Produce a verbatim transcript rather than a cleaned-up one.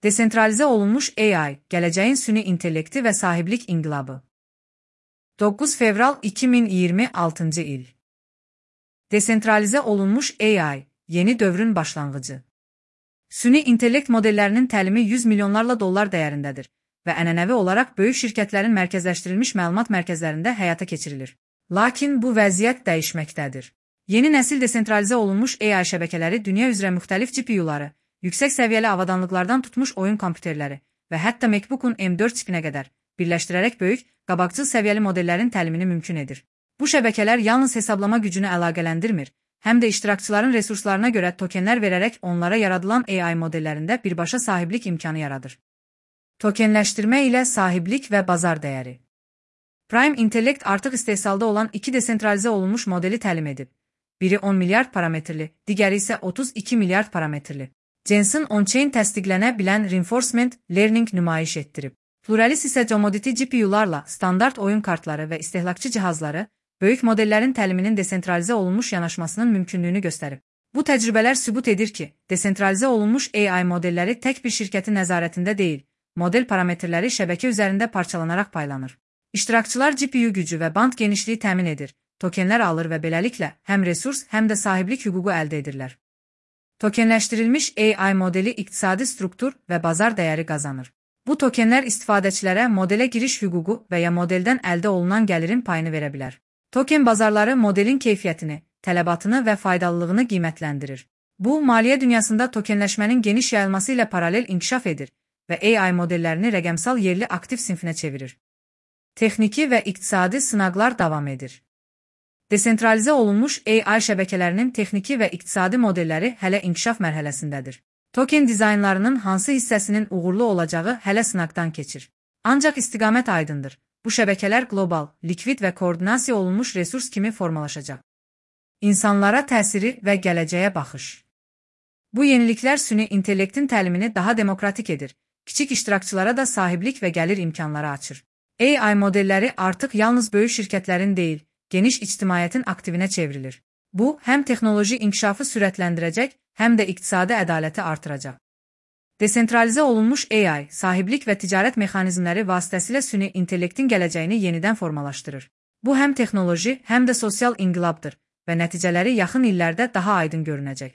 Desentralize olunmuş A I, geleceğin süni intellekti ve sahiblik inqilabı. dokuz fevral iki min iyirmi altıncı il. Desentralize olunmuş A I, yeni dövrün başlanğıcı. Süni intellekt modellerinin təlimi yüz milyonlarla dollar dəyərindədir və ənənəvi olaraq böyük şirkətlərin mərkəzləşdirilmiş məlumat mərkəzlərində həyata keçirilir. Lakin bu vəziyyət dəyişməkdədir. Yeni nəsil desentralize olunmuş A I şəbəkələri dünya üzrə müxtəlif G P U-ları, yüksək səviyyəli avadanlıqlardan tutmuş oyun kompüterləri və hətta MacBook-un M dörd çipinə qədər birləşdirərək böyük, qabaqcıl səviyyəli modellərin təlimini mümkün edir. Bu şəbəkələr yalnız hesablama gücünü əlaqələndirmir, həm də iştirakçıların resurslarına görə tokenlər verərək onlara yaradılan A I modellərində birbaşa sahiblik imkanı yaradır. Tokenləşdirmə ilə sahiblik və bazar dəyəri. Prime Intellect artıq istehsalda olan iki desentralize olunmuş modeli təlim edib. Biri on milyard parametrli, digəri isə otuz iki milyard parametrli. Jensen on-chain təsdiqlənə bilən Reinforcement Learning nümayiş etdirib. Pluralis isə commodity G P U-larla standart oyun kartları və istehlakçı cihazları, böyük modellərin təliminin desentralize olunmuş yanaşmasının mümkünlüyünü göstərib. Bu təcrübələr sübut edir ki, desentralize olunmuş A I modelləri tək bir şirkətin nəzarətində deyil, model parametrləri şəbəkə üzərində parçalanaraq paylanır. İştirakçılar G P U gücü və band genişliyi təmin edir, tokenlər alır və beləliklə həm resurs, həm də sahiblik hüququ əldə edirlər. Tokenləşdirilmiş A I modeli iqtisadi struktur və bazar dəyəri qazanır. Bu tokenlər istifadəçilərə modelə giriş hüququ və ya modeldən əldə olunan gəlirin payını verə bilər. Token bazarları modelin keyfiyyətini, tələbatını və faydalılığını qiymətləndirir. Bu, maliyyə dünyasında tokenləşmənin geniş yayılması ilə paralel inkişaf edir və A I modellərini rəqəmsal yerli aktiv sinfinə çevirir. Texniki və iqtisadi sınaqlar davam edir. Desentralize olunmuş A I şəbəkələrinin texniki və iqtisadi modelləri hələ inkişaf mərhələsindədir. Token dizaynlarının hansı hissəsinin uğurlu olacağı hələ sınaqdan keçir. Ancaq istiqamət aydındır. Bu şəbəkələr qlobal, likvid və koordinasiya olunmuş resurs kimi formalaşacaq. İnsanlara təsiri və gələcəyə baxış. Bu yeniliklər süni intellektin təlimini daha demokratik edir, kiçik iştirakçılara da sahiblik və gəlir imkanları açır. A I modelləri artıq yalnız böyük şirkətlərin deyil, geniş ictimaiyyətin aktivinə çevrilir. Bu, həm texnoloji inkişafı sürətləndirəcək, həm də iqtisadi ədaləti artıracaq. Desentralize olunmuş A I, sahiblik və ticarət mexanizmləri vasitəsilə süni intellektin gələcəyini yenidən formalaşdırır. Bu, həm texnoloji, həm də sosial inqilabdır və nəticələri yaxın illərdə daha aydın görünəcək.